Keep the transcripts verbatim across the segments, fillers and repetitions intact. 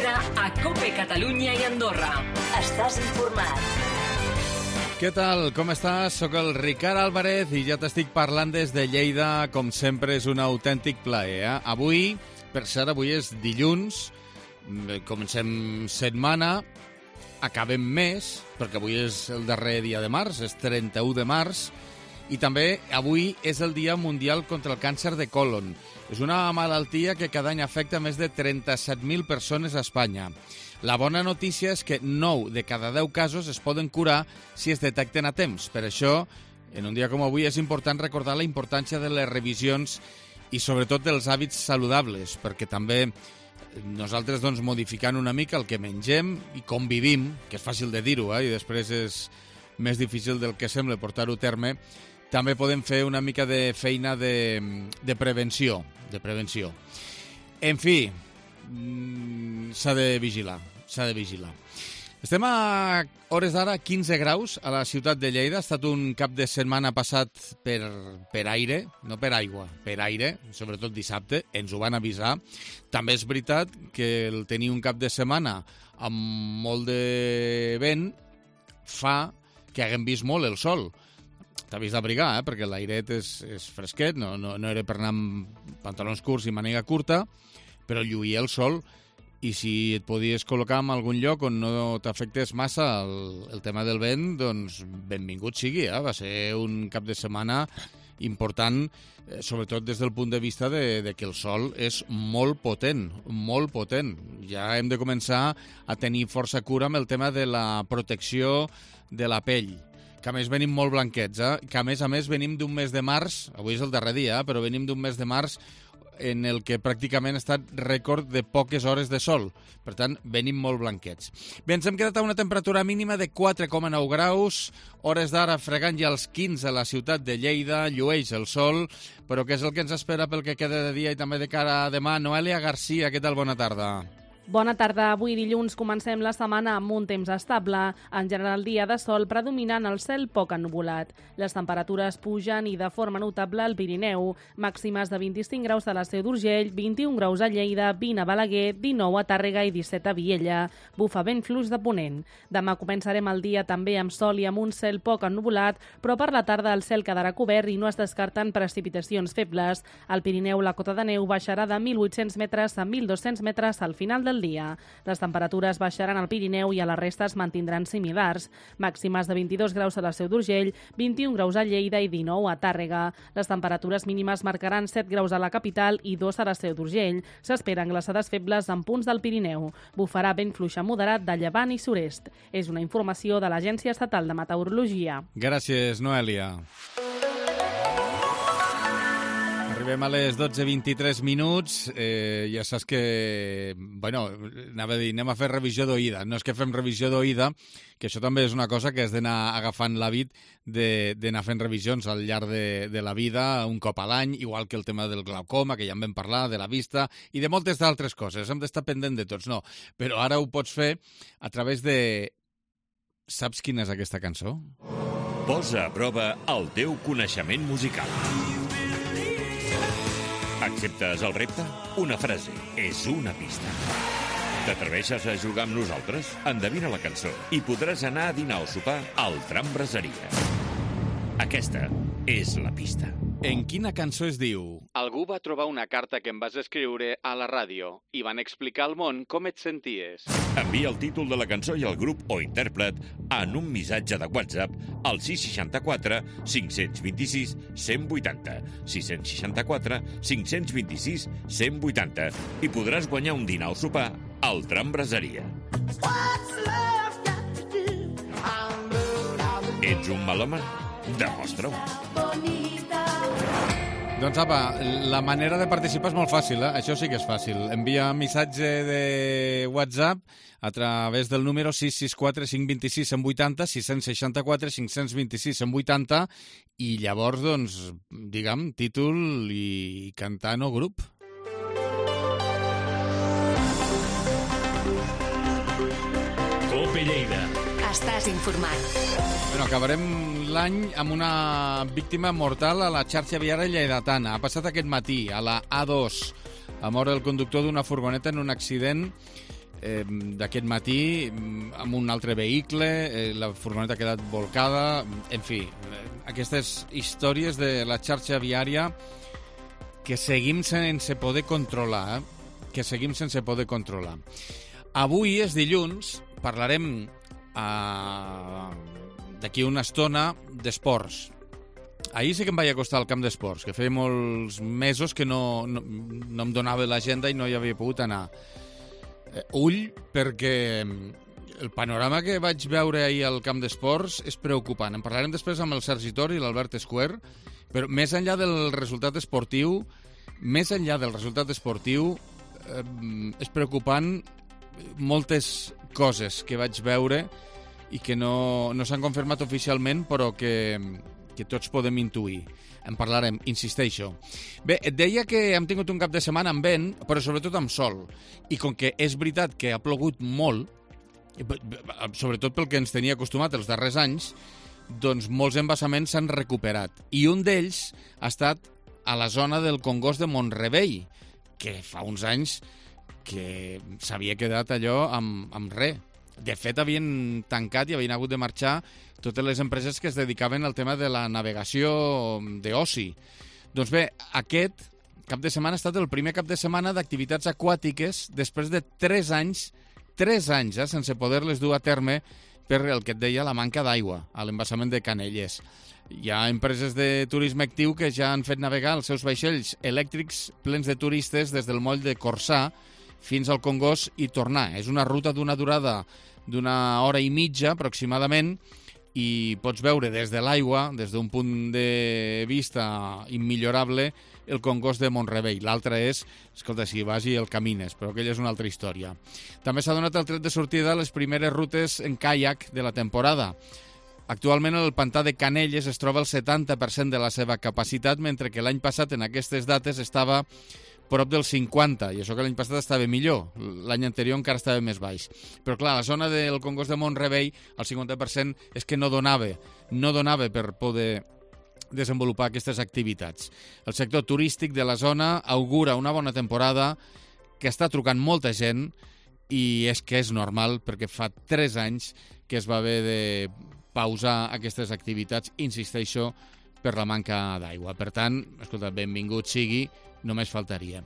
Lleida, a COPE Catalunya i Andorra. Estàs informat. Què tal? Com estàs? Soc el Ricard Álvarez i ja t'estic parlant des de Lleida. Com sempre, és un autèntic plaer. Eh? Avui, per cert, avui és dilluns, comencem setmana, acabem mes, perquè avui és el darrer dia de març, és trenta-u de març, i també avui és el Dia Mundial contra el Càncer de Colon. És una malaltia que cada any afecta més de trenta-set mil persones a Espanya. La bona notícia és que nou de cada deu casos es poden curar si es detecten a temps. Per això, en un dia com avui, és important recordar la importància de les revisions i sobretot dels hàbits saludables, perquè també nosaltres, doncs, modificant una mica el que mengem i com vivim, que és fàcil de dir-ho, eh, i després és més difícil del que sembla portar-ho a terme, també podem fer una mica de feina de, de prevenció, de prevenció. En fi, s'ha de vigilar, s'ha de vigilar. Estem a hores d'ara quinze graus a la ciutat de Lleida. Ha estat un cap de setmana passat per, per aire, no per aigua, per aire, sobretot dissabte, ens ho van avisar. També és veritat que el tenir un cap de setmana amb molt de vent fa que haguem vist molt el sol. T'ha vist d'abrigar, eh? Perquè l'airet és, és fresquet, no, no, no era per anar amb pantalons curts i màniga curta, però lluïa el sol, i si et podies col·locar en algun lloc on no t'afectés massa el, el tema del vent, doncs benvingut sigui, eh? Va ser un cap de setmana important, eh, sobretot des del punt de vista de, de que el sol és molt potent, molt potent. Ja hem de començar a tenir força cura amb el tema de la protecció de la pell, que a més venim molt blanquets, eh? Que a més a més venim d'un mes de març, avui és el darrer dia, eh? Però venim d'un mes de març en el que pràcticament ha estat rècord de poques hores de sol. Per tant, venim molt blanquets. Bé, ens hem quedat a una temperatura mínima de quatre coma nou graus, hores d'ara fregant ja els quinze a la ciutat de Lleida, llueix el sol, però què és el que ens espera pel que queda de dia i també de cara a demà? Noelia Garcia, què tal? Bona tarda. Bona tarda. Avui dilluns comencem la setmana amb un temps estable. En general, dia de sol predominant el cel poc ennuvolat. Les temperatures pugen i de forma notable al Pirineu. Màximes de vint-i-cinc graus a la Seu d'Urgell, vint-i-un graus a Lleida, vint a Balaguer, dinou a Tàrrega i disset a Viella. Bufa vent fluix de ponent. Demà començarem el dia també amb sol i amb un cel poc ennuvolat, però per la tarda el cel quedarà cobert i no es descarten precipitacions febles. Al Pirineu la cota de neu baixarà de mil vuit-cents metres a mil dos-cents metres al final del dia. Les temperatures baixaran al Pirineu i a la resta es mantindran similars. Màximes de vint-i-dos graus a la Seu d'Urgell, vint-i-un graus a Lleida i dinou a Tàrrega. Les temperatures mínimes marcaran set graus a la capital i dos a la Seu d'Urgell. S'esperen glaçades febles en punts del Pirineu. Bufarà vent fluix moderat de llevant i sud-est. És una informació de l'Agència Estatal de Meteorologia. Gràcies, Noelia. Arribem a les dotze vint-i-tres minuts, eh, ja saps que, bueno, anava a dir, anem a fer revisió d'oïda. No és que fem revisió d'oïda, que això també és una cosa que has d'anar agafant l'hàbit d'anar fent revisions al llarg de, de la vida, un cop a l'any, igual que el tema del glaucoma, que ja en vam parlar, de la vista, i de moltes d'altres coses. Hem d'estar pendent de tots, no. Però ara ho pots fer a través de... Saps quina és aquesta cançó? Posa a prova el teu coneixement musical. Acceptes el repte? Una frase és una pista. T'atreveixes a jugar amb nosaltres? Endevina la cançó i podràs anar a dinar o sopar al Tram Braseria. Aquesta és la pista. En quina cançó es diu? Algú va trobar una carta que em vas escriure a la ràdio i van explicar al món com et senties. Envia el títol de la cançó i el grup o intèrpret en un missatge de WhatsApp al sis seixanta quatre cinc cents vint-i-sis cent vuitanta, sis seixanta quatre cinc cents vint-i-sis cent vuitanta i podràs guanyar un dinar o sopar al Tram Braseria. Ets un melòman? Demostra-ho. Doncs apa, la manera de participar és molt fàcil, eh? Això sí que és fàcil. Envia un missatge de WhatsApp a través del número sis sis quatre cinc dos sis cent vuitanta, sis seixanta quatre cinc cents vint-i-sis cent vuitanta i llavors, doncs, diguem, títol i cantant o grup. COPE Lleida. Estàs informat. Bueno, acabarem l'any amb una víctima mortal a la xarxa viària lleidatana. Ha passat aquest matí a la A dos. Ha mort el conductor d'una furgoneta en un accident eh, d'aquest matí amb un altre vehicle, eh, la furgoneta ha quedat volcada, en fi, eh, aquestes històries de la xarxa viària que seguim sense poder controlar, eh? que seguim sense poder controlar. Avui és dilluns, parlarem eh, d'aquí una estona d'esports. Ahir sí que em vaig acostar al camp d'esports, que feia molts mesos que no, no, no em donava l'agenda i no hi havia pogut anar. Eh, ull, perquè el panorama que vaig veure ahir al camp d'esports és preocupant. En parlarem després amb el Sergi Tor i l'Albert Esquer, però més enllà del resultat esportiu, més enllà del resultat esportiu, eh, és preocupant moltes coses que vaig veure i que no, no s'han confirmat oficialment, però que... que tots podem intuir. En parlarem, insisteixo. Bé, et deia que hem tingut un cap de setmana amb vent, però sobretot amb sol. I com que és veritat que ha plogut molt, sobretot pel que ens tenia acostumat els darrers anys, doncs molts embassaments s'han recuperat. I un d'ells ha estat a la zona del Congost de Mont-rebei, que fa uns anys que s'havia quedat allò amb, amb res. De fet, havien tancat i havien hagut de marxar totes les empreses que es dedicaven al tema de la navegació d'oci. Doncs bé, aquest cap de setmana ha estat el primer cap de setmana d'activitats aquàtiques després de tres anys, tres anys, eh, sense poder-les dur a terme per el que et deia la manca d'aigua a l'embassament de Canelles. Hi ha empreses de turisme actiu que ja han fet navegar els seus vaixells elèctrics plens de turistes des del moll de Corçà fins al Congost i tornar. És una ruta d'una durada d'una hora i mitja aproximadament i pots veure des de l'aigua, des d'un punt de vista immillorable, el Congost de Mont-rebei. L'altre és, escolta, si vas i el camines, però aquella és una altra història. També s'ha donat el tret de sortida a les primeres rutes en caiac de la temporada. Actualment el pantà de Canelles es troba al setanta per cent de la seva capacitat, mentre que l'any passat en aquestes dates estava prop del cinquanta, i això que l'any passat estava millor, l'any anterior encara estava més baix. Però clar, la zona del Congost de Mont-rebei, el cinquanta per cent és que no donava, no donava per poder desenvolupar aquestes activitats. El sector turístic de la zona augura una bona temporada, que està trucant molta gent, i és que és normal, perquè fa tres anys que es va haver de pausar aquestes activitats, insisteixo, per la manca d'aigua. Per tant, escolta, benvingut sigui, només faltaria.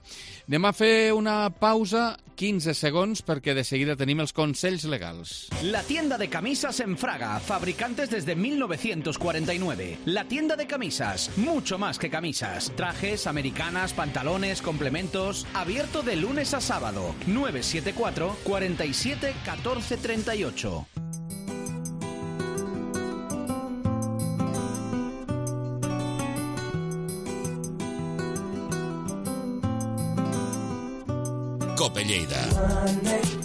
Anem a fer una pausa, quinze segons, perquè de seguida tenim els consells legals. La tienda de camisas en Fraga, fabricantes desde mil novecientos cuarenta y nueve. La tienda de camisas, mucho más que camisas. Trajes, americanas, pantalones, complementos. Abierto de lunes a sábado. nueve siete cuatro, cuatro siete, uno cuatro tres ocho. Cope Lleida.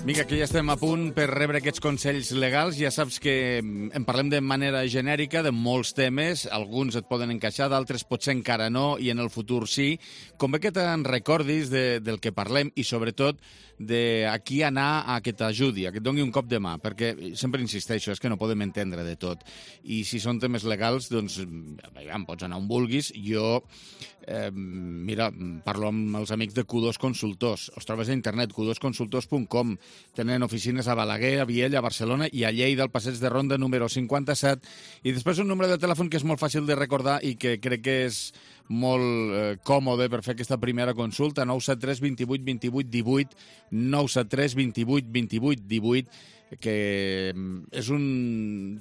Vinga, que ja estem a punt per rebre aquests consells legals. Ja saps que en parlem de manera genèrica de molts temes. Alguns et poden encaixar, d'altres potser encara no, i en el futur sí. Convé que te'n recordis de, del que parlem i, sobretot, de a qui anar a que t'ajudi, a que et doni un cop de mà, perquè sempre insisteixo, és que no podem entendre de tot. I si són temes legals, doncs, veiem, pots anar on vulguis. Jo, eh, mira, parlo amb els amics de Q dos Consultors. Els trobes a internet, q dos consultors punt com. Tenen oficines a Balaguer, a Viella, a Barcelona i a Lleida, al passeig de Ronda número cinquanta-set. I després un número de telèfon que és molt fàcil de recordar i que crec que és molt eh, còmode per fer aquesta primera consulta, nou set tres, vint vuit, vint vuit, divuit, nou set tres, vint vuit, vint vuit, divuit, que és un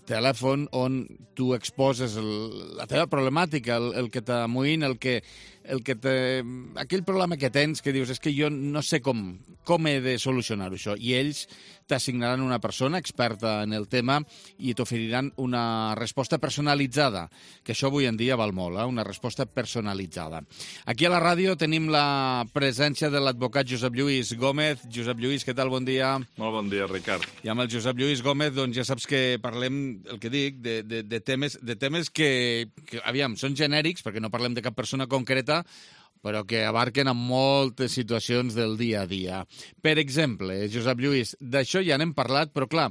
telèfon on tu exposes el, la teva problemàtica, el, el que t'amoïna, el que, el que te, aquell problema que tens que dius és que jo no sé com, com he de solucionar això, i ells t'assignaran una persona experta en el tema i t'oferiran una resposta personalitzada, que això avui en dia val molt, eh? Una resposta personalitzada. Aquí a la ràdio tenim la presència de l'advocat Josep Lluís Gómez. Josep Lluís, què tal? Bon dia. Molt bon dia, Ricard. I amb el Josep Lluís Gómez, doncs ja saps que parlem, el que dic, de, de, de temes, de temes que, que, aviam, són genèrics, perquè no parlem de cap persona concreta, però que abarquen en moltes situacions del dia a dia. Per exemple, Josep Lluís, d'això ja n'hem parlat, però clar,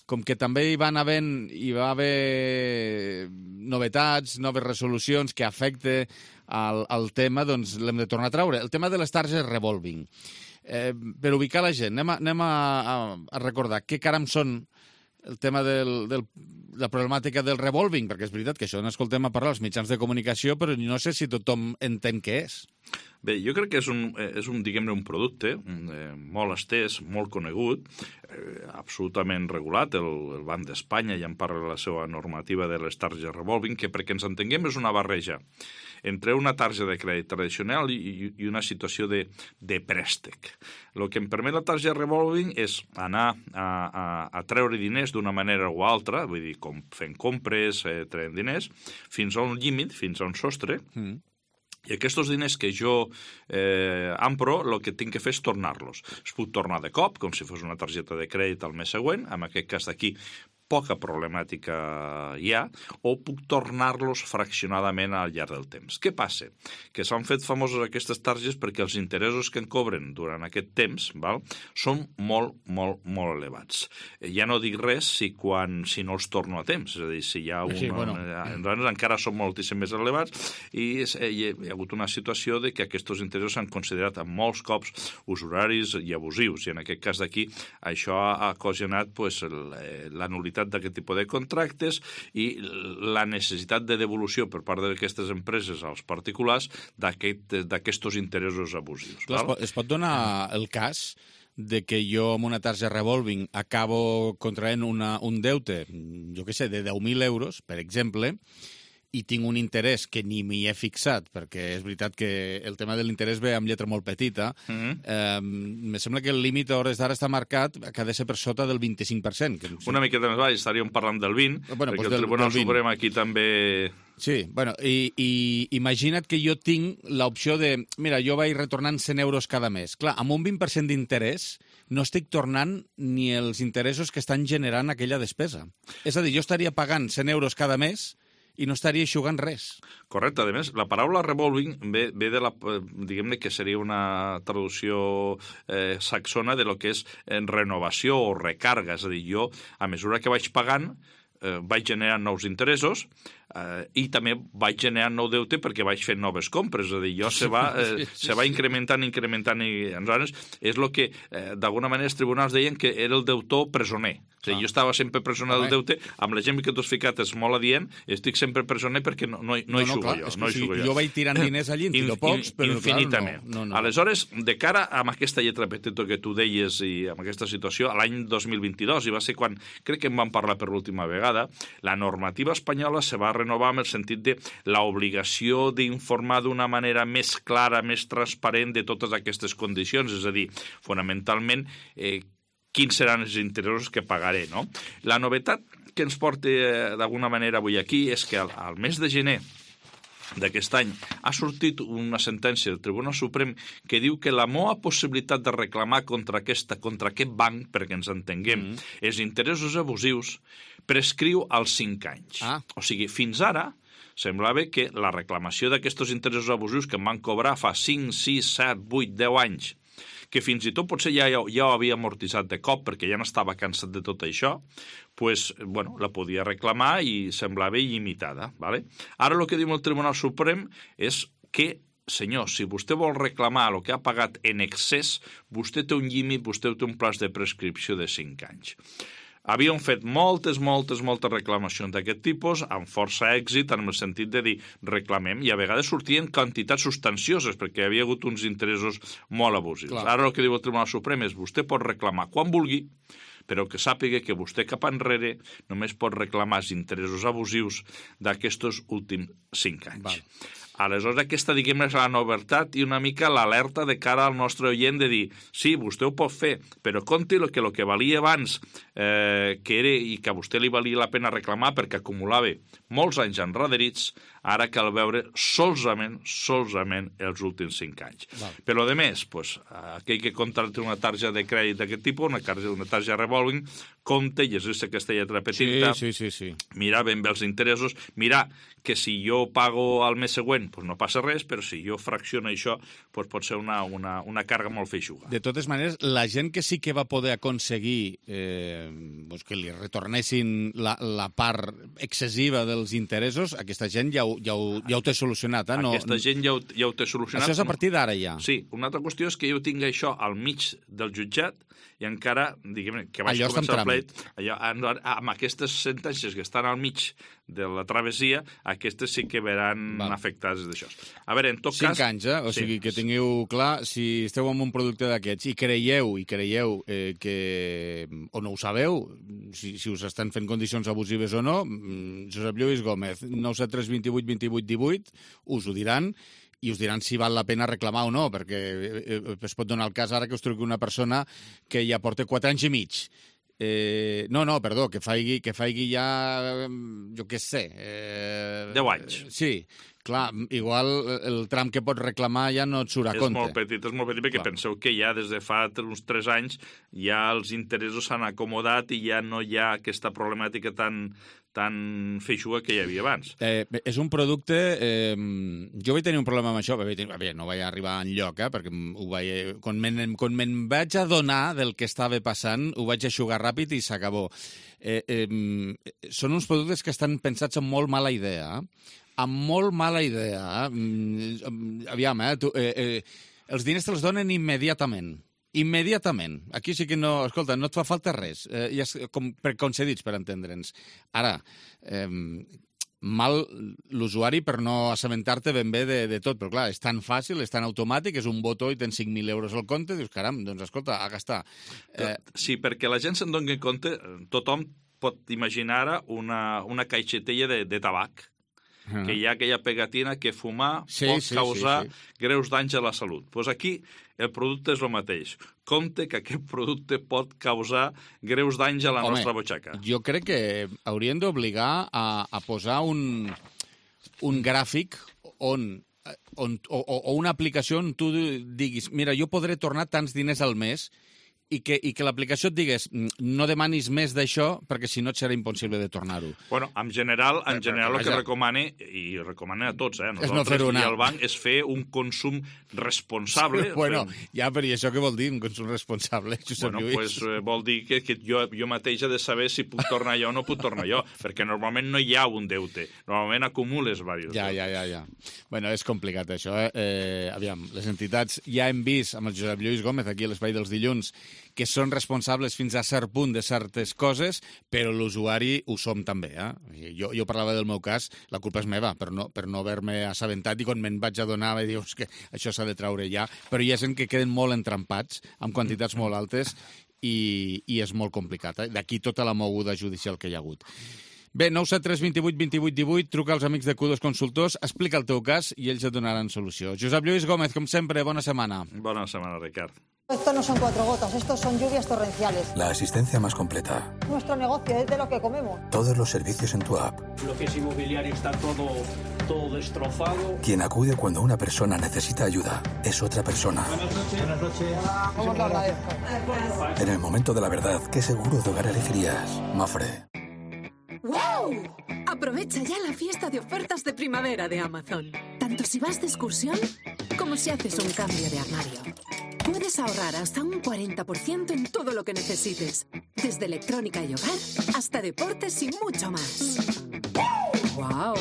com que també hi van havent, hi va haver novetats, noves resolucions que afecten al, al tema, doncs l'hem de tornar a traure. El tema de les targes revolving. Eh, per ubicar la gent, anem a, anem a, a, a recordar què caram són el tema del, del, de la problemàtica del revolving, perquè és veritat que això n'escoltem a parlar als mitjans de comunicació, però no sé si tothom entén què és. Bé, jo crec que és un, és un diguem-ne, un producte eh, molt estès, molt conegut, eh, absolutament regulat. El, el Banc d'Espanya ja en parla de la seva normativa de les targes revolving, que perquè ens entenguem és una barreja entre una tarja de crèdit tradicional i, i una situació de, de préstec. El que em permet la tarja revolving és anar a, a, a treure diners d'una manera o altra, vull dir, com fent compres, eh, traient diners, fins a un límit, fins a un sostre, mm. I aquests diners que jo eh, ampro, el que tinc que fer és tornar-los. Es puc tornar de cop, com si fos una targeta de crèdit al mes següent, en aquest cas d'aquí poca problemàtica hi ha, o puc tornar-los fraccionadament al llarg del temps. Què passa? Que s'han fet famoses aquestes targes perquè els interessos que en cobren durant aquest temps, val, són molt, molt, molt elevats. Ja no dic res si, quan, si no els torno a temps, és a dir, si hi ha un... Sí, bueno. Nosaltres encara són moltíssim més elevats i hi ha hagut una situació de que aquests interessos s'han considerat en molts cops usuraris i abusius, i en aquest cas d'aquí això ha ocasionat pues, l'anulitat d'aquest tipus de contractes i la necessitat de devolució per part d'aquestes empreses als particulars d'aquests interessos abusius. Clar, val? Es pot donar el cas de que jo amb una tarja revolving acabo contraent una, un deute, jo què sé, de deu mil euros, per exemple, i tinc un interès que ni m'hi he fixat, perquè és veritat que el tema de l'interès ve amb lletra molt petita, mm-hmm. eh, me sembla que el límit a hores d'ara està marcat que ha de ser per sota del vint-i-cinc per cent. Que, sí. Una miqueta més baix, estaríem parlant del vint, bueno, perquè pues el del, Tribunal del Suprem aquí també... Sí, bueno, i, i imagina't que jo tinc l'opció de, mira, jo vaig retornant cent euros cada mes. Clar, amb un vint per cent d'interès no estic tornant ni els interessos que estan generant aquella despesa. És a dir, jo estaria pagant cent euros cada mes i no estaria eixugant res. Correcte. A més, la paraula revolving ve, ve de la, diguem-ne que seria una traducció eh, saxona de lo que és en renovació o recarga. És a dir, jo, a mesura que vaig pagant, eh, vaig generant nous interessos eh, i també vaig generant nou deute perquè vaig fent noves compres. És a dir, jo se va, eh, se va incrementant, incrementant i aleshores és el que eh, d'alguna manera els tribunals deien que era el deutor presoner. O sigui, jo estava sempre presoner del deute, amb l'exemple que tu has ficat és molt adient, estic sempre presoner perquè no, no, no, no hi xugo jo. No hi xugo jo. Jo vaig tirant diners allí, en tiro pocs, però infinitament. Clar, no, no, no. Aleshores, de cara amb aquesta lletra petita que tu deies i amb aquesta situació, l'any dos mil vint-i-dos, i va ser quan crec que en vam parlar per l'última vegada, la normativa espanyola se va renovar en el sentit de l'obligació d'informar d'una manera més clara, més transparent de totes aquestes condicions, és a dir, fonamentalment, eh, quins seran els interessos que pagaré, no? La novetat que ens porta eh, d'alguna manera avui aquí és que al, al mes de gener d'aquest any ha sortit una sentència del Tribunal Suprem que diu que la meva possibilitat de reclamar contra, aquesta, contra aquest banc, perquè ens entenguem, mm. els interessos abusius, prescriu als cinc anys. Ah. O sigui, fins ara semblava que la reclamació d'aquests interessos abusius que em van cobrar fa cinc, sis, set, vuit, deu anys, que fins i tot potser ja, ja, ja ho havia amortitzat de cop perquè ja n'estava cansat de tot això, pues, bueno, la podia reclamar i semblava il·limitada. ¿Vale? Ara el que diu el Tribunal Suprem és que, senyor, si vostè vol reclamar el que ha pagat en excés, vostè té un límit, vostè té un plaç de prescripció de cinc anys. Havíem fet moltes, moltes, moltes reclamacions d'aquest tipus, amb força èxit, en el sentit de dir reclamem, i a vegades sortien quantitats substancioses, perquè hi havia hagut uns interessos molt abusius. Clar. Ara el que diu el Tribunal Suprem és vostè pot reclamar quan vulgui, però que sàpiga que vostè cap enrere només pot reclamar els interessos abusius d'aquests últims cinc anys. Val. Aleshores, aquesta, diguem, és la novetat i una mica l'alerta de cara al nostre oient de dir, sí, vostè ho pot fer, però compti que el que valia abans, eh, que era i que a vostè li valia la pena reclamar perquè acumulava molts anys enrederits, ara cal veure solament, solament els últims cinc anys. Val. Però, a més, pues, aquell que contracta una tarja de crèdit d'aquest tipus, una tarja, una tarja revolving, compte, llegir-se aquesta lletra petita, sí, sí, sí, sí. mirar ben bé els interessos, mirar que si jo pago al mes següent gent pues, no passa res, però si jo fracciono això pues, pot ser una, una, una càrrega molt feixuga. De totes maneres, la gent que sí que va poder aconseguir eh, pues que li retornessin la, la part excessiva dels interessos, aquesta gent ja ho, ja ho, ja ho té solucionat. Eh? No, aquesta gent ja ho, ja ho té solucionat. Això és a partir d'ara ja. Sí, una altra qüestió és que jo tinc això al mig del jutjat i encara, diguem, que vaig allò començar el pleit, allò, amb aquestes sentències que estan al mig de la travessia, aquestes sí que veran Val. afectades d'això. A veure, en tot Cinc cas... Cinc anys, eh? O sí, sigui, que sí. tingueu clar, si esteu amb un producte d'aquests i creieu, i creieu eh, que... o no ho sabeu, si, si us estan fent condicions abusives o no, Josep Lluís Gómez, nou set tres dos vuit dos vuit un vuit, us ho diran, i us diran si val la pena reclamar o no, perquè es pot donar el cas ara que us truqui una persona que ja porta quatre anys i mig. Eh, no, no, perdó, que faigui, que faigui ja, jo què sé... Eh, deu anys. Sí, clar, igual el tram que pots reclamar ja no et surt a és compte. És molt petit, és molt petit, perquè clar. Penseu que ja des de fa uns tres anys ja els interessos s'han acomodat i ja no hi ha aquesta problemàtica tan... tan feixuga que hi havia abans. Eh, és un producte... Eh, jo vaig tenir un problema amb això, vaig tenir, bé, no vaig arribar enlloc, eh, perquè ho vaig, quan me'n quan me'n vaig adonar del que estava passant, ho vaig eixugar ràpid i s'acabó. Eh, eh, són uns productes que estan pensats amb molt mala idea, amb molt mala idea. Eh? Aviam, eh, tu, eh, eh, els diners te'ls donen immediatament. Immediatament. Aquí sí que no... Escolta, no et fa falta res. Eh, ja és com preconcedits, per entendre'ns. Ara, eh, mal l'usuari per no assabentar-te ben bé de, de tot, però clar, és tan fàcil, és tan automàtic, és un botó i tens cinc mil euros al compte, dius, caram, doncs escolta, a gastar. Eh... Sí, perquè la gent se'n doni compte, tothom pot imaginar ara una, una caixetella de, de tabac, Uh-huh. que hi ha aquella pegatina que fumar sí, pot sí, causar sí, sí. greus danys a la salut. Doncs pues aquí el producte és el mateix. Compte que aquest producte pot causar greus danys a la Home, nostra butxaca. Jo crec que haurien d'obligar a, a posar un, un gràfic on, on, o, o una aplicació on tu diguis, mira, jo podré tornar tants diners al mes i que, i que l'aplicació et digués no demanis més d'això perquè si no et serà impossible de tornar-ho. Bueno, en general, en però, general però, el que ja... recomane, i recomana a tots, eh, és no nosaltres i el banc, és fer un consum responsable. Sí, bueno, fem... ja, però i això què vol dir, un consum responsable, Josep bueno, Lluís? Pues, eh, vol dir que, que jo, jo mateix he de saber si puc tornar jo o no puc tornar jo, perquè normalment no hi ha un deute, normalment acumules diversos. Ja, ja, ja, ja. Bueno, és complicat això, eh? eh aviam, les entitats ja hem vist amb el Josep Lluís Gómez aquí a l'Espai dels Dilluns que són responsables fins a cert punt de certes coses, però l'usuari ho som també. Eh? Jo, jo parlava del meu cas, la culpa és meva, per no, per no haver-me assabentat, i quan me'n vaig adonar vaig dir que això s'ha de traure ja, però hi ha gent que queden molt entrampats, amb quantitats molt altes, i, i és molt complicat. Eh? D'aquí tota la moguda judicial que hi ha hagut. Bé, nou set tres dos vuit dos vuit un vuit, truca als amics de Q dos Consultors, explica el teu cas i ells et donaran solució. Josep Lluís Gómez, com sempre, bona setmana. Bona setmana, Ricard. Esto no son cuatro gotas, estos son lluvias torrenciales. La asistencia más completa. Nuestro negocio es de lo que comemos. Todos los servicios en tu app. Lo que es inmobiliario está todo, todo destrozado. Quien acude cuando una persona necesita ayuda es otra persona. Buenas noches. Buenas noches. ¿Cómo te agradezco? En el momento de la verdad, ¿qué seguro de hogar elegirías? Mafre. ¡Wow! Aprovecha ya la fiesta de ofertas de primavera de Amazon. Tanto si vas de excursión como si haces un cambio de armario. Puedes ahorrar hasta un cuarenta por ciento en todo lo que necesites. Desde electrónica y hogar hasta deportes y mucho más. ¡Wow!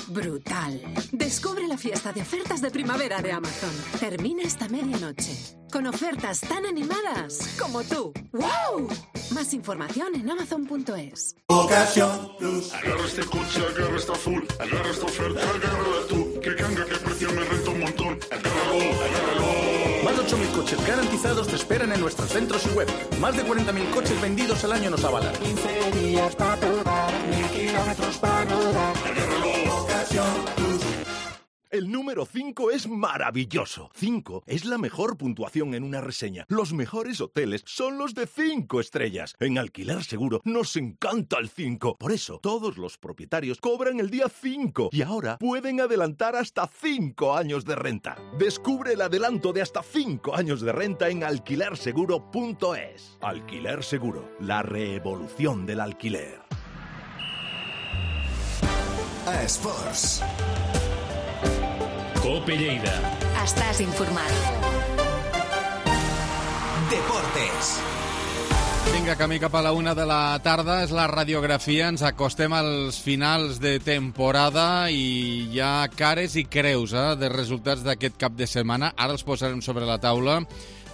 Brutal. Descubre la fiesta de ofertas de primavera de Amazon. Termina esta medianoche. Con ofertas tan animadas como tú. ¡Wow! Más información en amazon punto es. Ocasión Plus. Agarra este coche, agarra esta full. Agarra esta oferta, agárrala tú. Que canga, que precio me renta un montón. Agárralo, agárralo. Más de ocho mil coches garantizados te esperan en nuestros centros y web. Más de cuarenta mil coches vendidos al año nos avalan. quince días para probar, mil kilómetros para rodar. Agárralo, Ocasión Plus. El número cinco es maravilloso. cinco es la mejor puntuación en una reseña. Los mejores hoteles son los de cinco estrellas. En Alquiler Seguro nos encanta el cinco. Por eso, todos los propietarios cobran el día cinco y ahora pueden adelantar hasta cinco años de renta. Descubre el adelanto de hasta cinco años de renta en alquiler seguro punto es. Alquiler Seguro, la revolución del alquiler. A Sports. Cope Lleida. Estàs informat. Deportes. Vinga, camí cap a la una de la tarda, és la radiografia, ens acostem als finals de temporada i hi ha cares i creus eh, de resultats d'aquest cap de setmana. Ara els posarem sobre la taula,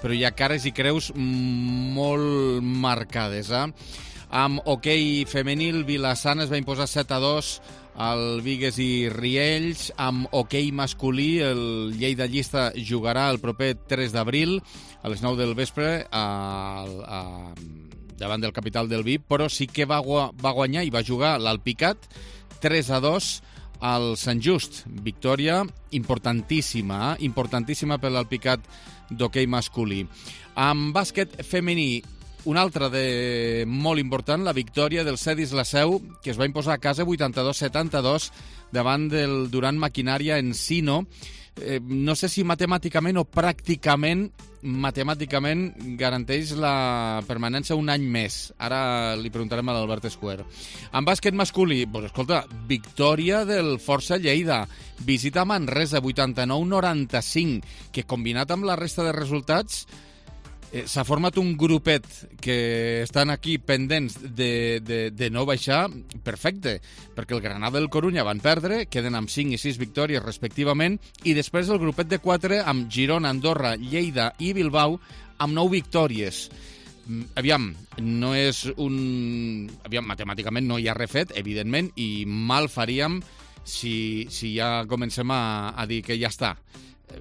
però hi ha cares i creus molt marcades. Eh? Amb hoquei femenil, Vila-sana es va imposar set a dos al Bigues i Riells. Amb hoquei masculí, el Lleida Llista jugarà el proper tres d'abril a les nou del vespre a, a, davant del capital del Vi, però sí que va, va guanyar i va jugar l'Alpicat tres a dos al Sant Just. Victòria importantíssima, eh? importantíssima per l'Alpicat d'hoquei masculí. Amb bàsquet femení, un altre de molt important, la victòria del Cedis La Seu, que es va imposar a casa vuitanta-dos a setanta-dos davant del Duran Maquinària Encino. Eh, no sé si matemàticament o pràcticament matemàticament garanteix la permanència un any més. Ara li preguntarem a l'Albert Escuer. En bàsquet masculí, pues, escolta, victòria del Força Lleida. Visita Manresa, vuitanta-nou a noranta-cinc, que combinat amb la resta de resultats eh, s'ha format un grupet que estan aquí pendents de, de, de no baixar perfecte, perquè el Granada i el Corunya van perdre, queden amb cinc i sis victòries respectivament, i després el grupet de quatre amb Girona, Andorra, Lleida i Bilbao amb nou victòries. Aviam, no és un... Aviam, matemàticament no hi ha refet, evidentment, i mal faríem si, si ja comencem a, a dir que ja està.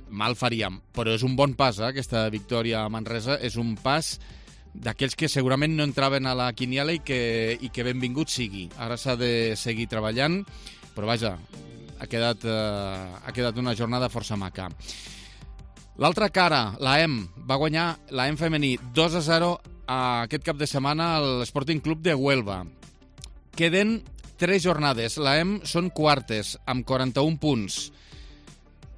Mal faríem, però és un bon pas, eh, aquesta victòria a Manresa, és un pas d'aquells que segurament no entraven a la quiniela i que, i que benvingut sigui. Ara s'ha de seguir treballant, però vaja, ha quedat, eh, ha quedat una jornada força maca. L'altra cara, la E M, va guanyar la E M femení dos a zero a aquest cap de setmana al Sporting Club de Huelva. Queden tres jornades, la E M són quartes, amb quaranta-un punts.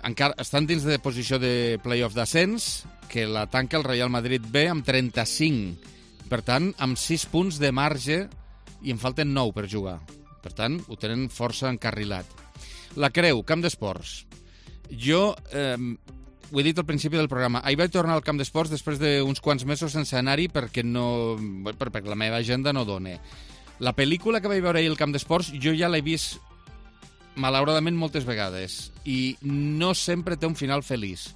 Encara estan dins de posició de play-off d'ascens, que la tanca el Real Madrid B amb trenta-cinc. Per tant, amb sis punts de marge i en falten nou per jugar. Per tant, ho tenen força encarrilat. La creu, Camp d'Esports. Jo, eh, ho he dit al principi del programa, ahir vaig tornar al Camp d'Esports després d'uns quants mesos sense anar-hi perquè, no, perquè la meva agenda no dona. La pel·lícula que vaig veure ahir al Camp d'Esports jo ja l'he vist malauradament moltes vegades i no sempre té un final feliç.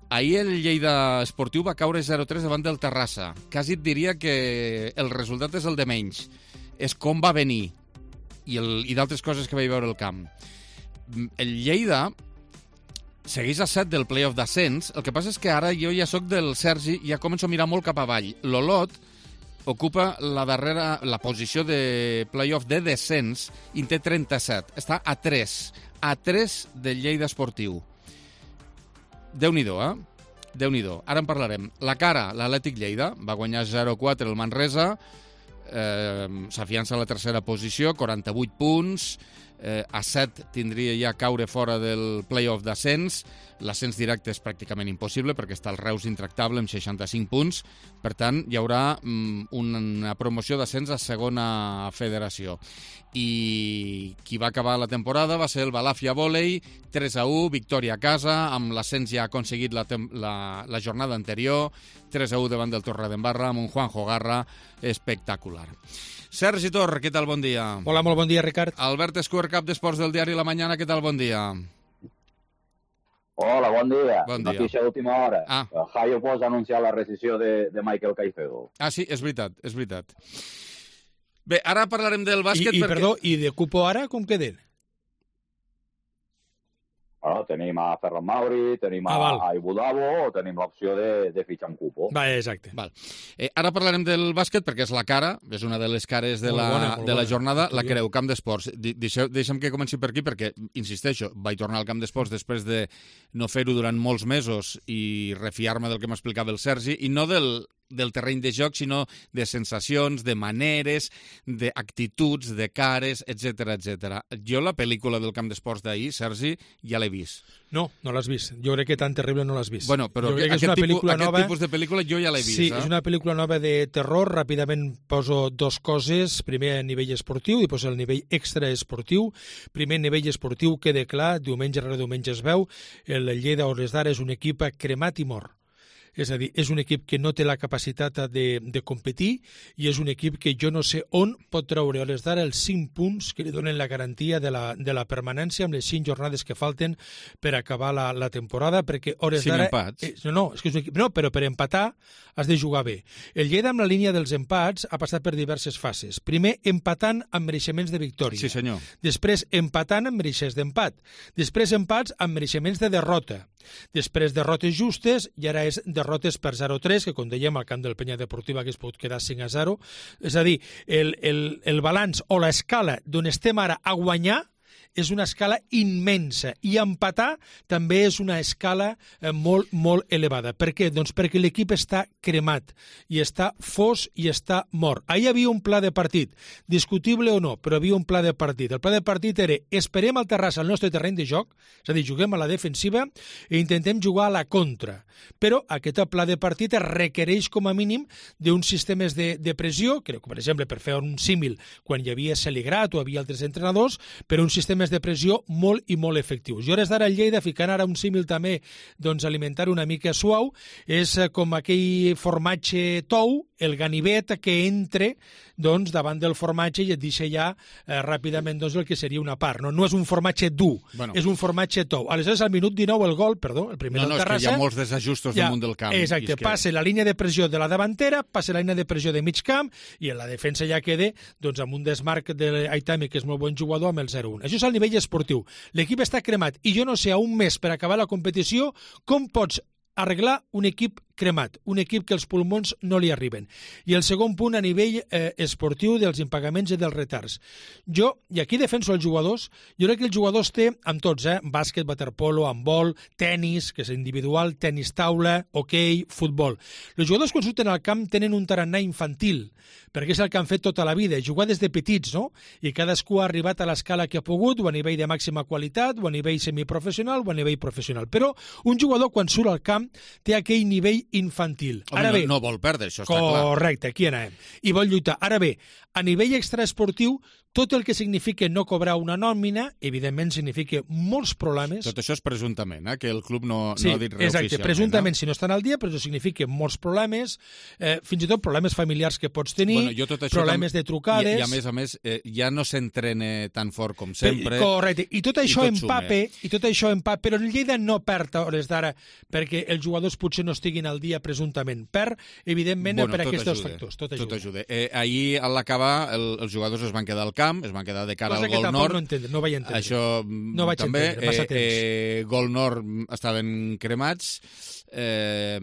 Ahir el Lleida Esportiu va caure zero a tres davant del Terrassa. Quasi et diria que el resultat és el de menys. És com va venir i, el, i d'altres coses que vaig veure al camp. El Lleida segueix a set del play-off d'ascens. El que passa és que ara jo ja sóc del Sergi i ja començo a mirar molt cap avall. L'Olot ocupa la darrera, la posició de play-off de descens i en té trenta-set. Està a tres. A tres del Lleida Esportiu. Déu-n'hi-do, eh? Déu-n'hi-do. Ara en parlarem. La cara, l'Atlètic Lleida, va guanyar zero a quatre el Manresa, eh, s'afiança a la tercera posició, quaranta-vuit punts, eh, a set tindria ja caure fora del play-off d'ascens. L'ascens directe és pràcticament impossible perquè està el Reus intractable amb seixanta-cinc punts. Per tant, hi haurà mm, una promoció d'ascens a segona federació. I qui va acabar la temporada va ser el Balàfia Vòlei, tres a u, victòria a casa, amb l'ascens ja aconseguit la, la, la jornada anterior, tres a u davant del Torredembarra, amb un Juanjo Garra espectacular. Sergi Tor, què tal? Bon dia. Hola, molt bon dia, Ricard. Albert Escuer, cap d'Esports del diari La Mañana, què tal? Bon dia. Hola, bon dia. Bon dia. Notícia d'última hora. Ah. Jaio Pos ha anunciat la rescisió de, de Michael Caicedo. Ah, sí, és veritat, és veritat. Bé, ara parlarem del bàsquet I, i perquè... perdó, i de cupo ara com queden? Bueno, tenim a Ferran Mauri, tenim a, ah, a Ibudabo, o tenim l'opció de, de fitxar un cupo. Va, exacte. Val. Eh, ara parlarem del bàsquet perquè és la cara, és una de les cares de, molt la, bona, de la bona. jornada, la creu, Camp d'Esports. Deixeu, deixem que comenci per aquí perquè, insisteixo, vaig tornar al Camp d'Esports després de no fer-ho durant molts mesos i refiar-me del que m'explicava el Sergi, i no del del terreny de joc, sinó de sensacions, de maneres, d'actituds, de cares, etcètera, etcètera. Jo la pel·lícula del camp d'esports d'ahir, Sergi, ja l'he vist. No, no l'has vist. Jo crec que tan terrible no l'has vist. Bueno, però que aquest, tipus, aquest nova... tipus de pel·lícula jo ja l'he vist. Sí, eh? és una pel·lícula nova de terror. Ràpidament poso dos coses. Primer, a nivell esportiu, i després el nivell extraesportiu. Primer, a nivell esportiu, queda clar, diumenge rere diumenge es veu, el Lleida a hores d'ara és un equip cremat i mort. És a dir, és un equip que no té la capacitat de, de competir i és un equip que jo no sé on pot treure a hores d'ara els cinc punts que li donen la garantia de la, de la permanència amb les cinc jornades que falten per acabar la, la temporada, perquè a hores d'ara... Cinc empats. Eh, no, no, és que és un equip, no, però per empatar has de jugar bé. El Lleida amb la línia dels empats ha passat per diverses fases. Primer, empatant amb mereixements de victòria. Sí, senyor. Després, empatant amb mereixements d'empat. Després, empats amb mereixements de derrota. Després, derrotes justes, i ara és derrotes per zero a tres, que com dèiem al camp del Penya Deportiva que es pot quedar cinc a zero. És a dir, el, el, el balanç o l'escala d'on estem ara a guanyar és una escala immensa i empatar també és una escala eh, molt, molt elevada. Per què? Doncs perquè l'equip està cremat i està fos i està mort. Ahir hi havia un pla de partit, discutible o no, però hi havia un pla de partit. El pla de partit era esperem al Terrassa al nostre terreny de joc, és a dir, juguem a la defensiva i intentem jugar a la contra. Però aquest pla de partit requereix com a mínim d'uns sistemes de, de pressió, crec que per exemple per fer un símil quan hi havia Celigrat o hi havia altres entrenadors, però un sistema de pressió molt i molt efectius. I hores d'ara el Lleida, ficant ara un símil també, doncs alimentar una mica suau, és com aquell formatge tou, el ganivet que entre doncs, davant del formatge i et deixa ja eh, ràpidament doncs, el que seria una part. No, no és un formatge dur, bueno. és un formatge tou. Aleshores, al minut dinou, el gol, perdó, el primer no, del no, Terrassa... No, és que hi ha molts desajustos ja, damunt del camp. Exacte, que... passa la línia de pressió de la davantera, passa la línia de pressió de mig camp i en la defensa ja queda doncs, amb un desmarc de l'Aitami, que és molt bon jugador, amb el zero a un. Això és el nivell esportiu. L'equip està cremat i jo no sé, a un mes per acabar la competició, com pots arreglar un equip cremat, un equip que els pulmons no li arriben. I el segon punt a nivell eh, esportiu dels impagaments i dels retards. Jo, i aquí defenso els jugadors, jo crec que els jugadors té, amb tots, eh, bàsquet, waterpolo, handbol, tenis, que és individual, tenis taula, hoquei, futbol. Els jugadors quan surten al camp tenen un tarannà infantil, perquè és el que han fet tota la vida, jugar des de petits, no? I cadascú ha arribat a l'escala que ha pogut, o a nivell de màxima qualitat, o a nivell semiprofessional, o a nivell professional. Però un jugador, quan surt al camp, té aquell nivell infantil. Home, Ara no, bé, no vol perdre, això està clar. Correcte, aquí anem. I vol lluitar. Ara bé, a nivell extraesportiu, tot el que significa no cobrar una nòmina, evidentment significa molts problemes. Tot això és presumptament, eh? Que el club no, sí, no ha dit res exacte, oficialment. Presumptament, eh? si no estan al dia, però això significa molts problemes, eh, fins i tot problemes familiars que pots tenir, bueno, tot problemes de trucades... I, I a més a més, eh, ja no s'entrena tan fort com sempre. Correcte, i tot això i tot empape, i tot això empape, però el Lleida no perd a hores d'ara perquè els jugadors potser no estiguin al dia presumptament. Perd, evidentment, bueno, per aquests ajuda, factors. Tot ajuda. Tot ajuda. Eh, ahir, a l'acabar, el, els jugadors es van quedar al camp, es van quedar de cara Cosa al Gol Nord. No, entendre, no vaig entendre. Això no vaig també, entendre, massa temps. Eh, eh, Gol Nord estaven cremats, eh,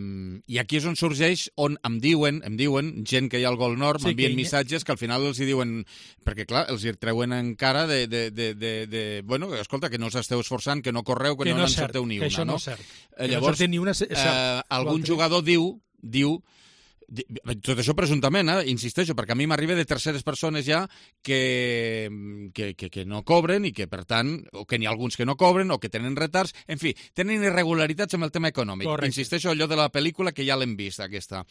i aquí és on sorgeix, on em diuen, em diuen gent que hi ha al Gol Nord, sí, m'envien que... missatges que al final els hi diuen, perquè clar, els hi treuen en cara de, de, de, de, de bueno, escolta, que no us esteu esforçant, que no correu, que, que no, no en cert, sorteu ni que una. Això no, no? és cert. Eh, llavors, no ni una, és cert. Eh, algun jugador diu, diu tot això presumptament, eh? Insisteixo, perquè a mi m'arriba de terceres persones ja que, que, que, que no cobren i que, per tant, o que n'hi ha alguns que no cobren o que tenen retards, en fi, tenen irregularitats amb el tema econòmic. Correcte. Insisteixo, allò de la pel·lícula que ja l'hem vist, aquesta.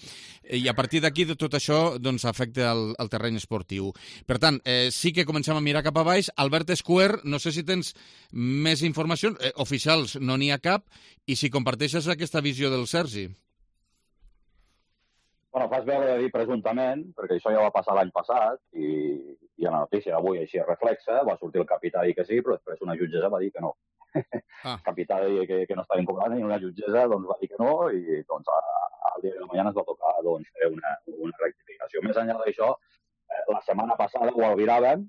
I a partir d'aquí tot això doncs, afecta el, el terreny esportiu. Per tant, eh, sí que comencem a mirar cap a baix. Albert Escuer, no sé si tens més informació, eh, oficials no n'hi ha cap, i si comparteixes aquesta visió del Sergi. Bueno, fas veure de dir presumptament, perquè això ja va passar l'any passat, i, i a la notícia d'avui així es reflexa, va sortir el capità i que sí, però després una jutgessa va dir que no. Ah. El capità deia que, que no estaven cobrant i una jutgessa doncs, va dir que no, i doncs al dia de la mañana es va tocar doncs, fer una, una rectificació. Més enllà d'això, eh, la setmana passada ho albiràvem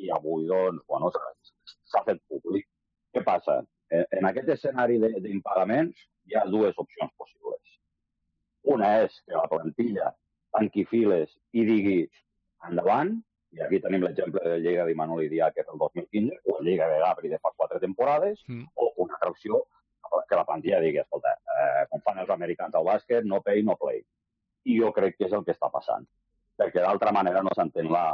i avui doncs, bueno, s'ha fet públic. Què passa? Eh, en aquest escenari d'impagaments hi ha dues opcions possibles. Una és que la plantilla tanqui files i digui endavant, i aquí tenim l'exemple de Lleida d'Imanol Idiáquez el dos mil quinze, o el Lleida de Gabri de fa quatre temporades, mm. o una altra opció que la plantilla digui, escolta, eh, com fan els americans al bàsquet, no pay, no play. i jo crec que és el que està passant. Perquè d'altra manera no s'entén la,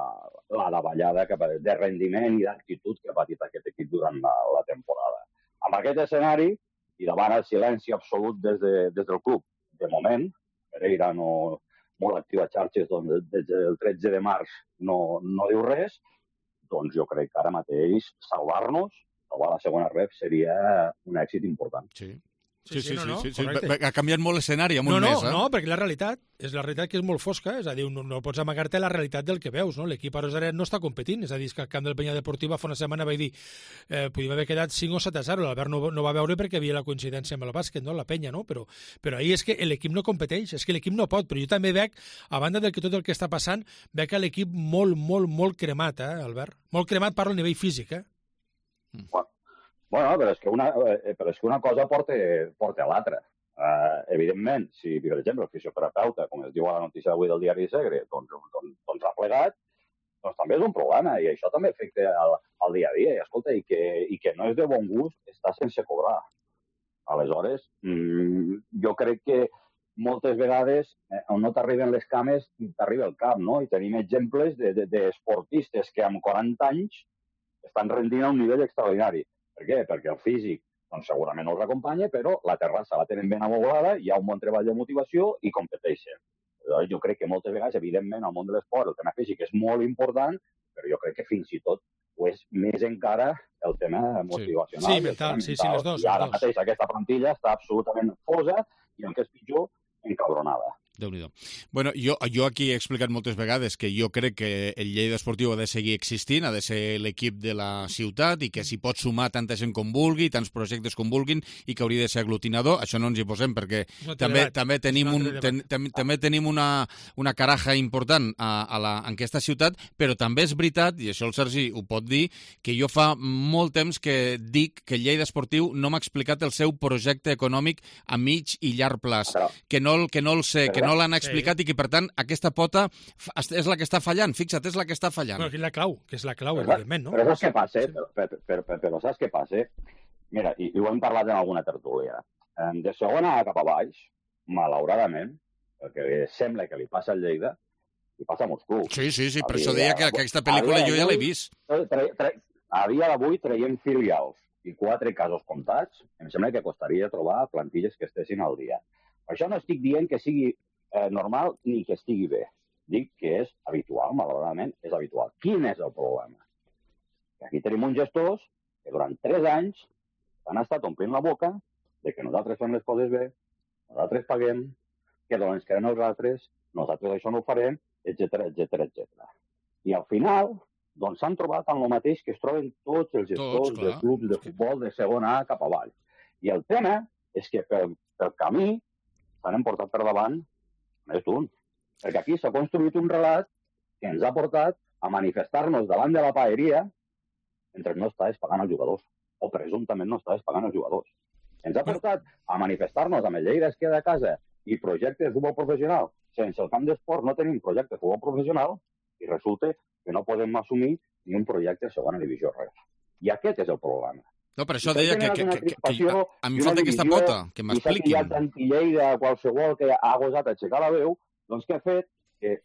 la davallada que, de rendiment i d'actitud que ha patit aquest equip durant la, la temporada. Amb aquest escenari, i davant el silenci absolut des, de, des del club, de moment, Pereira no, molt actiu a xarxes, doncs des del tretze de març no, no diu res, doncs jo crec que ara mateix salvar-nos, salvar la segona ref, seria un èxit important. Sí. Sí, sí, sí, no, no, sí, sí, sí. Ha canviat molt l'escenari amb un no, no, mes, eh? No, perquè la realitat és la realitat que és molt fosca, és a dir, no, no pots amagar-te la realitat del que veus, no? L'equip a Rosaret no està competint, és a dir, que el camp del Penya Deportiva fa una setmana vaig dir eh, podíem haver quedat cinc o set a zero, l'Albert no, no va veure perquè havia la coincidència amb el bàsquet, no? La Penya, no? Però, però ahir és que l'equip no competeix, és que l'equip no pot, però jo també veig, a banda del que tot el que està passant, veig que l'equip molt, molt, molt cremat, eh, Albert? Molt cremat, parlo a nivell físic, eh? Bueno, bueno però, és que una, eh, però és que una cosa porta, porta a l'altra. Uh, evidentment, si, per exemple, el fisioterapeuta, com es diu a la notícia d'avui del diari Segre, doncs, doncs, doncs ha plegat, doncs també és un problema, i això també afecta al, al dia a dia. I, escolta, i que, i que no és de bon gust està sense cobrar. Aleshores, mmm, jo crec que moltes vegades, eh, on no t'arriben les cames, t'arriba el cap, no? I tenim exemples d'esportistes de, de, que amb quaranta anys estan rendint a un nivell extraordinari. Per què? Perquè el físic doncs segurament no els acompanya, però la terrassa la tenen ben amoblada, hi ha un bon treball de motivació i competeixen. Jo crec que moltes vegades, evidentment, al món de l'esport el tema físic és molt important, però jo crec que fins i tot ho és més encara el tema motivacional. Sí, sí mental, sí, sí, les dos. I ara dos. mateix aquesta plantilla està absolutament fosa i, el que és pitjor, encabronada. Déu-n'hi-do. Bueno, jo, jo aquí he explicat moltes vegades que jo crec que el Lleida Esportiu ha de seguir existint, ha de ser l'equip de la ciutat i que s'hi pot sumar tanta gent com vulgui, tants projectes com vulguin i que hauria de ser aglutinador. Això no ens hi posem perquè no també, també tenim, un, ten, ten, també tenim una, una caraja important a, a la, en aquesta ciutat, però també és veritat, i això el Sergi ho pot dir, que jo fa molt temps que dic que el Lleida Esportiu no m'ha explicat el seu projecte econòmic a mig i llarg plaç, que no, que no el sé, que no l'han explicat sí. I que, per tant, aquesta pota és la que està fallant. Fixa't, és la que està fallant. Bueno, que és la clau, que és la clau, però, evidentment, no? Però saps què passa? Sí. Però, però, però, però saps què passa? Mira, i, i ho hem parlat en alguna tertúlia. De segona a cap a baix, malauradament, el que sembla que li passa al Lleida, li passa a molts clubs. Sí, sí, sí, per això deia que aquesta pel·lícula jo ja l'he vist. Tre, tre, a dia d'avui traiem filials i quatre casos comptats, em sembla que costaria trobar plantilles que estessin al dia. Per això no estic dient que sigui eh, normal ni que estigui bé. Dic que és habitual, malauradament, és habitual. Quin és el problema? Que aquí tenim uns gestors que durant tres anys han estat omplint la boca de que nosaltres fem les coses bé, nosaltres paguem, que doncs queden els altres, nosaltres això no ho farem, etcètera, etcètera, etcètera. I al final, doncs s'han trobat en el mateix que es troben tots els gestors tots, dels clubs de futbol de segona A cap avall. I el tema és que pel, pel camí s'han emportat per davant més d'un. Perquè aquí s'ha construït un relat que ens ha portat a manifestar-nos davant de la paeria mentre no estàs pagant els jugadors, o presumptament no estàs pagant els jugadors. Ens ha portat a manifestar-nos amb el Lleida es queda a casa i projecte de futbol professional. Sense el camp d'esport no tenim projecte de futbol professional i resulta que no podem assumir ni un projecte de segona divisió res. I aquest és el problema. No, per això deia que, que, que, que, que a mi falta aquesta pota, que m'expliquin. I hi ha tant Lleida, qualsevol que ha gosat aixecar la veu, doncs què ha fet? Que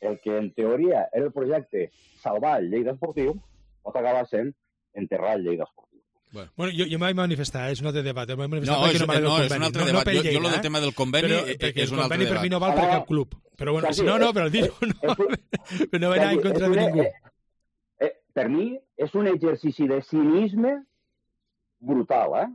el que en teoria era el projecte salvar el Lleida Esportiu pot acabar sent enterrar el Lleida Esportiu. Bueno, bueno jo, jo m'he manifestat, és un altre debat. No, és, no, és un altre debat. No, no jo, Lleida, jo el tema del conveni però, és un altre debat. El conveni per mi no val per cap club. Però bueno, si no, no, però el dir no, però no va anar en contra de ningú. Per mi és un exercici de cinisme brutal, eh?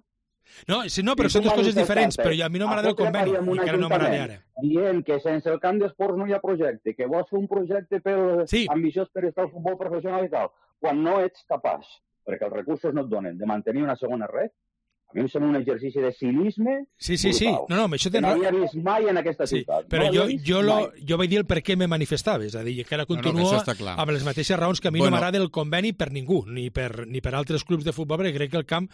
No, sí, no, però són dues coses diferents, però a mi no m'agrada el conveni, i encara no m'agrada ara. Dient que sense el camp d'esports no hi ha projecte, que vols fer un projecte per sí. ambiciós per estar al futbol professional i tal, quan no ets capaç, perquè els recursos no et donen, de mantenir una segona red, a mi em sembla un exercici de cinisme sí, sí, sí. brutal, no, no, això que no havia vist mai en aquesta sí. ciutat. Però no jo, jo, lo, jo vaig dir el per què me manifestava, és a dir, que ara continuo no, no, amb les mateixes raons que a mi bueno. no m'agrada el conveni per ningú, ni per, ni per altres clubs de futbol, perquè crec que el camp,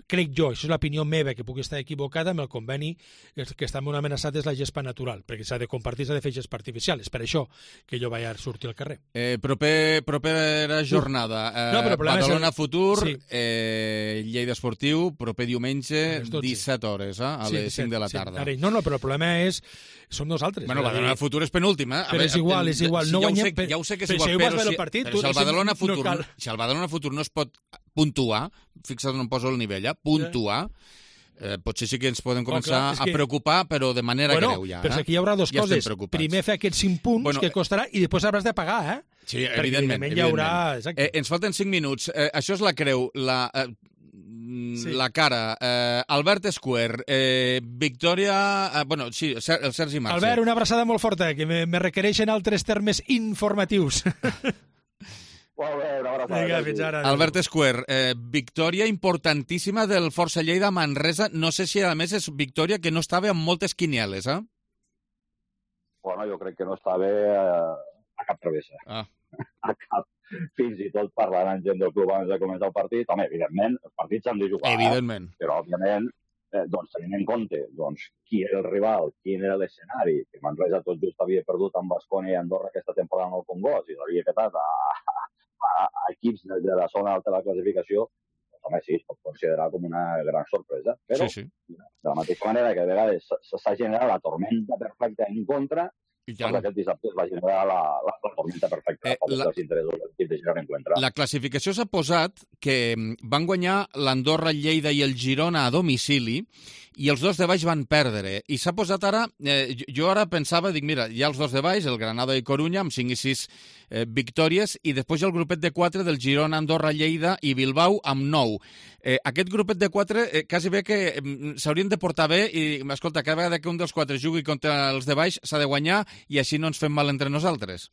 crec jo, això és l'opinió meva, que puc estar equivocada, amb el conveni que està molt amenaçat és la gespa natural, perquè s'ha de compartir, s'ha de fer gespa artificial, és per això que jo vaig a sortir al carrer. Eh, proper, propera jornada, eh, no, Badalona és el... Futur, sí. eh, Lleida Esportiu, proper diumenge diumenge, disset hores, eh? A les cinc de la tarda. No, no, però el problema és... Som nosaltres. Bueno, Badalona Futur és penúltim, eh? Però és igual, és igual. No guanyem... Ja ho sé que és igual, però si el Badalona Futur si el Badalona Futur no es pot puntuar, fixa't on poso el nivell, eh? Puntuar, Eh, potser sí que ens podem començar oh, clar, que... a preocupar, però de manera bueno, greu ja. Però eh? aquí hi haurà dues ja coses. Primer fer aquests cinc punts bueno, que costarà i després hauràs de pagar, eh? Sí, perquè evidentment. evidentment hi haurà... Eh, ens falten cinc minuts. Eh, això és la creu, la, eh, sí. la cara. Eh, Albert Square, eh, Victòria... Eh, bueno, sí, el Sergi Marxa. Albert, una abraçada molt forta, que me, me requereixen altres termes informatius. Molt bé, una abraçada. Vinga, fins ara. Albert Square, eh, victòria importantíssima del Força Lleida Manresa. No sé si, a més, és victòria que no estava amb moltes quinieles, eh? Bueno, jo crec que no estava eh, a cap travessa. Ah. A cap. Fins i tot parlant amb gent del club abans de començar el partit. Home, evidentment, els partits s'han de jugar. Evidentment. Eh? Però, òbviament, eh, doncs, tenint en compte doncs, qui era el rival, quin era l'escenari, que Manresa tot just havia perdut amb Baskonia i Andorra aquesta temporada en el Congost i l'havia quedat a... a equips de, de la zona alta de la classificació, doncs, home, sí, es pot considerar com una gran sorpresa. Però, sí, sí. de la mateixa manera que a vegades s'ha generat la tormenta perfecta en contra, doncs aquest dissabte es va generar la, la, la tormenta perfecta eh, la, dels interessos del equip de Girona en contra. La classificació s'ha posat que van guanyar l'Andorra, el Lleida i el Girona a domicili i els dos de baix van perdre. I s'ha posat ara... Eh, jo ara pensava, dic, mira, hi ha els dos de baix, el Granada i Corunya, amb cinc i sis eh, victòries, i després hi ha el grupet de quatre del Girona, Andorra, Lleida i Bilbao amb nou. Eh, aquest grupet de quatre eh, quasi bé que eh, s'haurien de portar bé i, escolta, cada vegada que un dels quatre jugui contra els de baix s'ha de guanyar i així no ens fem mal entre nosaltres.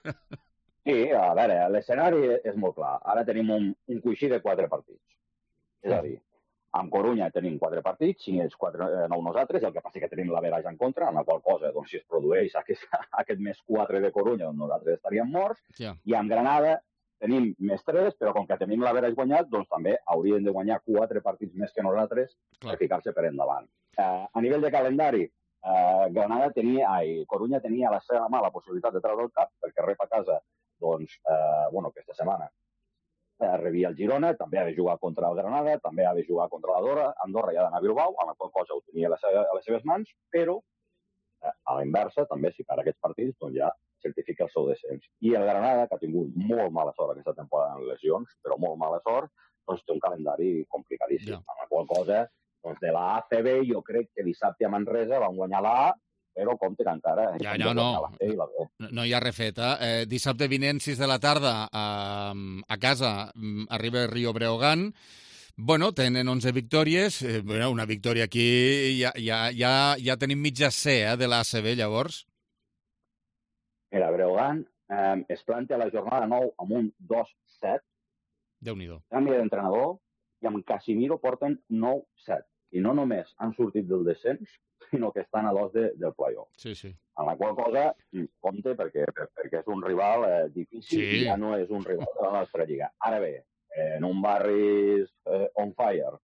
Sí, a veure, l'escenari és molt clar. Ara tenim un, un coixí de quatre partits. És a dir, amb Corunya tenim quatre partits, cinc ells, quatre, eh, nou nosaltres, el que passa que tenim l'average en contra, en la qual cosa, doncs, si es produeix aquest, aquest més quatre de Corunya, doncs nosaltres estaríem morts, ja. I amb Granada tenim més tres, però com que tenim l'average guanyat, doncs també haurien de guanyar quatre partits més que nosaltres per ficar-se per endavant. Eh, a nivell de calendari, eh, Granada tenia, ai, Corunya tenia a la seva mà la possibilitat de treure el cap, perquè rep a casa, doncs, eh, bueno, aquesta setmana, rebia el Girona, també ha de jugar contra el Granada, també ha de jugar contra l'Andorra, Andorra i ha d'anar a Bilbao, amb la qual cosa ho tenia a les, a les seves mans, però eh, a la inversa, també, si per aquests partits, doncs ja certifica el seu descens. I el Granada, que ha tingut molt mala sort aquesta temporada en lesions, però molt mala sort, doncs té un calendari complicadíssim. Ja. Amb la qual cosa, doncs de la A C B, jo crec que dissabte a Manresa van guanyar la A, però compte que encara... Ja, no, no, no hi ha refeta. Eh, dissabte vinent, sis de la tarda, a, a casa, arriba Rio Breogán. Bueno, tenen onze victòries. Eh, bueno, una victòria aquí, ja, ja, ja, ja tenim mitja C eh, de l'A C B, llavors. Mira, Breogán eh, es plantea la jornada nou amb un dos set. Déu-n'hi-do. Canvi d'entrenador i amb Casimiro porten nou set. I no només han sortit del descens, sinó que estan a dos de, del play-off. Sí, sí. En la qual cosa, compte, perquè, perquè és un rival eh, difícil sí. I ja no és un rival de la nostra lliga. Ara bé, eh, en un barri eh, on fire,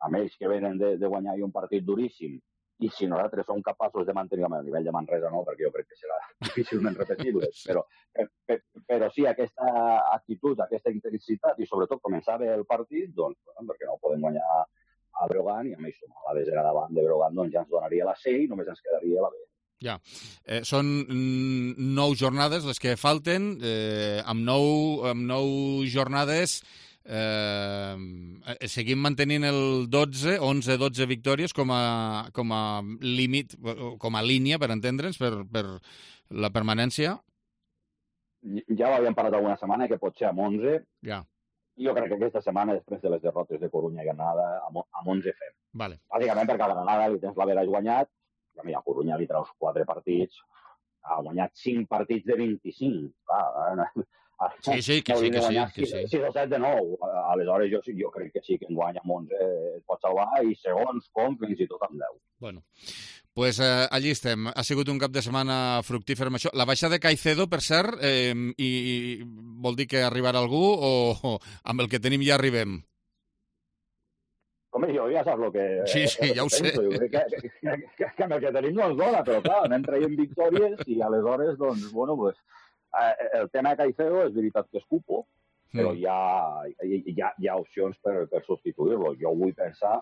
amb ells que venen de, de guanyar un partit duríssim, i si nosaltres som capaços de mantenir a nivell de Manresa, no, perquè jo crec que serà difícilment repetible, sí. però, però, però sí, aquesta actitud, aquesta intensitat, i sobretot començar bé el partit, doncs, perquè no podem guanyar a Breogán i a més sumar la desena davant de Breogán doncs ja ens donaria la C i només ens quedaria la B. Ja, eh, són nou jornades les que falten, eh, amb, nou, amb nou jornades eh, seguim mantenint el dotze, onze dotze victòries com a, com a límit, com a línia, per entendre'ns, per, per la permanència. Ja ho havíem parlat alguna setmana, que pot ser amb onze. Ja. Jo crec que aquesta setmana, després de les derrotes de Corunya i Granada, amb onze fem. Vale. Bàsicament perquè a Granada li tens l'average guanyat, i a mi a Corunya li treus quatre partits, ha guanyat cinc partits de vint-i-cinc. Clar, sí, sí, que sí, que sí. Que sí. sis o set de nou. Aleshores, jo, jo crec que sí que en guanya amb onze es pot salvar, i segons com, fins i tot amb deu. Bueno, pues eh, allí estem. Ha sigut un cap de setmana fructífer amb això. La baixada de Caicedo, per cert, eh, i, i vol dir que arribarà algú o, o amb el que tenim ja arribem? Home, jo ja saps el que... Sí, sí, ja ho sé. Jo crec que, que, que, que amb el que tenim no ens dona, però clar, anem traient victòries i aleshores, doncs, bueno, pues, eh, el tema de Caicedo és veritat que és cupo, però hi ha, hi ha, hi ha opcions per, per substituir-lo. Jo vull pensar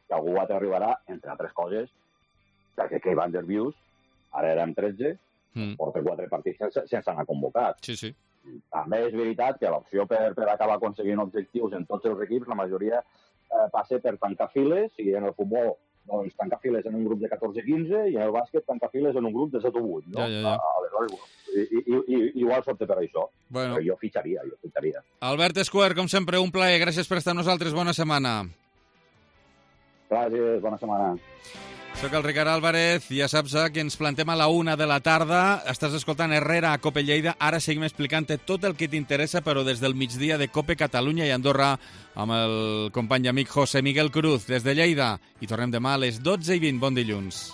que algú altre arribarà, entre altres coses, perquè Kei Van Der Bius, ara érem tretze, mm. porta quatre partits sense, sense anar convocat. Sí, sí. També és veritat que l'opció per, per acabar aconseguint objectius en tots els equips, la majoria eh, passa per tancar files, i en el futbol doncs, tancar files en un grup de catorze quinze i en el bàsquet tancar files en un grup de set o vuit. No? Ja, ja, ja. Aleshores, i, i, i, igual s'opta per això. Bueno. Però jo fitxaria, jo fitxaria. Albert Escuer, com sempre, un plaer. Gràcies per estar amb nosaltres. Bona setmana. Gràcies, bona setmana. Soc el Ricard Álvarez, ja saps que ens plantem a la una de la tarda. Estàs escoltant Herrera a Cope Lleida. Ara seguim explicant-te tot el que t'interessa, però des del migdia de Cope Catalunya i Andorra, amb el company i amic José Miguel Cruz, des de Lleida. I tornem demà a les dotze i vint. Bon dilluns.